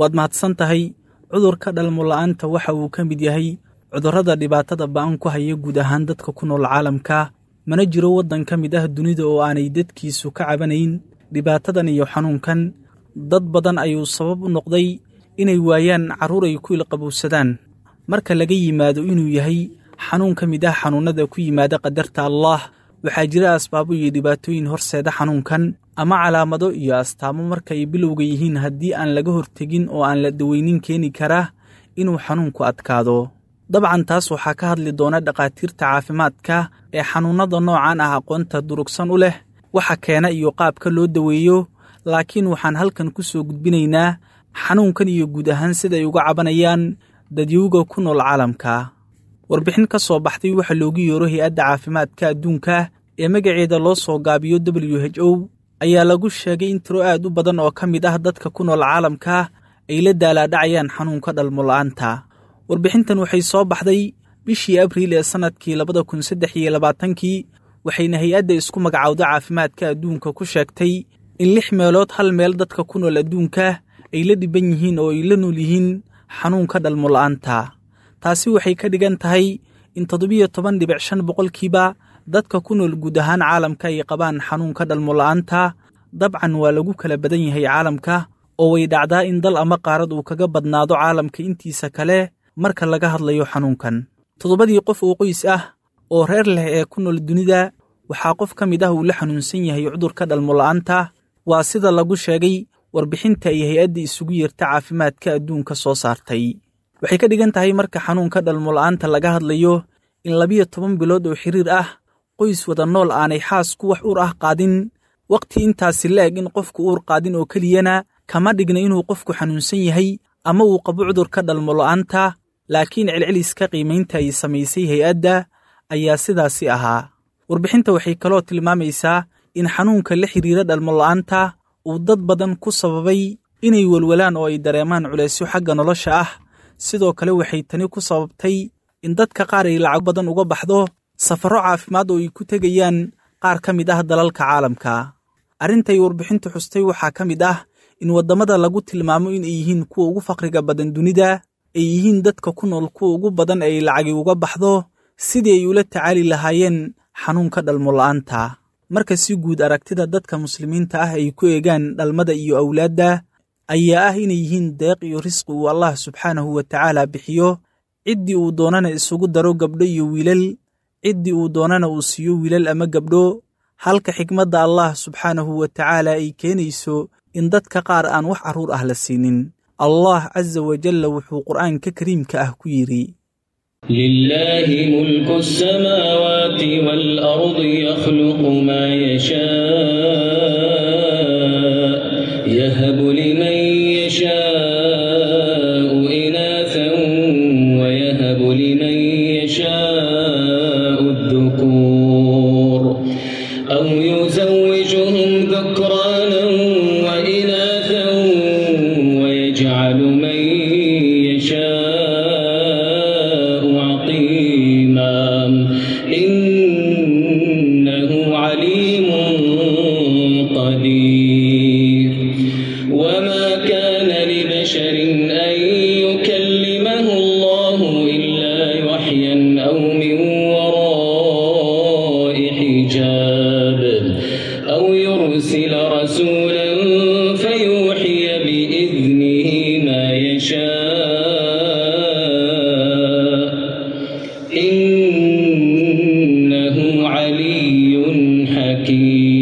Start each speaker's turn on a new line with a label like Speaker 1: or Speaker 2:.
Speaker 1: Waad mahadsan tahay. Cudurka dhalmola'aanta waxa uu ka mid yahay cudurrada dhibaatada ba'an ku haya guud ahaan dadka ku nool caalamka. Mana jiro waddan ka mid ah dunida oo aanay dadkiisu ka cabanayn dhibaatadan iyo xanuunkan. Dad badan ayuu sabab u noqday inay waayaan carruur ay ku ilqabowsadaan. Marka laga yimaado inuu yahay xanuun ka mid ah xanuunnada ku yimaada qadarta Allaah, waxaa jira asbaabo iyo dhibaatooyin horseeda xanuunkan ama calaamado iyo astaamo marka ay bilowga yihiin haddii aan laga hortegin oo aan la daweynin keeni kara inuu xanuunku adkaado. Dabcan taas waxaa ka hadli doona dhakhaatiirta caafimaadka ee xanuunnada noocan ah aqoonta durugsan u leh, waxa keena iyo qaabka loo daweeyo. Laakiin waxaan halkan ku soo gudbinaynaa xanuunkan iyo guud ahaan sida ay uga cabanayaan dadyowga ku nool caalamka. Warbixin ka soo baxday waxa loogu yeero hay-adda caafimaadka adduunka ee magaceeda loo soo gaabiyo WHO ayaa lagu sheegay in tiro aad u badan oo ka mid ah dadka ku nool caalamka ay la daalaadhacayaan xanuunka dhalmola'aanta. Warbixintan waxay soo baxday bishii Abriil ee sannadkii 2023-kii, waxayna hay-adda isku magacowda caafimaadka adduunka ku sheegtay in lix meelood hal meel dadka ku nool adduunka ay la dhiban yihiin oo ay la nool yihiin xanuunka dhalmola'aanta. Taasi waxay ka dhigan tahay in 17.5% dadka ku nool guud ahaan caalamka ay qabaan xanuunka dhalmola'aanta. Dabcan waa lagu kala badan yahay caalamka, oo way dhacdaa in dal ama qaarad uu kaga badnaado caalamka intiisa kale marka laga hadlayo xanuunkan. Toddobadii qof oo qoys ah oo reer leh ee ku nool dunida waxaa qof ka mid ah uu la xanuunsan yahay cudurka dhalmola'aanta, waa sida lagu sheegay warbixinta ay hay-adda isugu yeerta caafimaadka adduunka soo saartay. Waxay ka dhigan tahay marka xanuunka dhalmola'aanta laga hadlayo in 12 bilood oo xiriir ah qoys wada nool aanay xaasku wax uur ah qaadin. Waqti intaasi la-eg in qofku uur qaadin oo keliyana kama dhigna inuu qofku xanuunsan yahay ama uu qabo cudurka dhalmola'aanta, laakiin celceliska qiimaynta ay samaysay hay-adda ayaa sidaasi ahaa. Warbixinta waxay kaloo tilmaamaysaa in xanuunka la xiriira dhalmola'aanta uu dad badan ku sababay inay welwalaan oo ay dareemaan culaysyo xagga nolosha ah. Sidoo kale waxay tani ku sababtay in dadka qaar ay lacag badan uga baxdo safarro caafimaad oo ay ku tegayaan qaar ka mid ah dalalka caalamka. Arrintay warbixintu xustay waxaa ka mid ah in waddamada lagu tilmaamo in ay yihiin kuwa ugu faqriga badan dunida ay yihiin dadka ku nool kuwa ugu badan ay lacagi uga baxdo sidii ay ula tacaali lahaayeen xanuunka dhalmola'aanta. Marka si guud aragtida dadka muslimiinta ah ay ku eegaan dhalmada iyo awlaadda ayaa ah inay yihiin deeq iyo risqi uu Allah subxaanahu wa tacaala bixiyo, ciddii uu doonana isugu daro gabdho iyo wiilal, ciddii uu doonana uu siiyo wiilal ama gabdho, halka xikmadda Allah subxaanahu wa tacaala ay keenayso in dadka qaar aan wax carruur ah la siinin. Allah casa wajalla wuxuu qur'aanka kariimka ah ku yidhi:
Speaker 2: لله ملك السماوات والأرض يخلق ما يشاء يهب لمن يشاء إناثا ويهب لمن يشاء الذكور أو يزوجهم ذكرانا وإناثا ويجعل من يشاء عقيما إنه عليم قدير. وما كان لبشر أن يكلمه الله إلا وحيا أو من وراء حجاب أو يرسل رسولا فيوحي بإذنه ما يشاء إنه علي حكيم.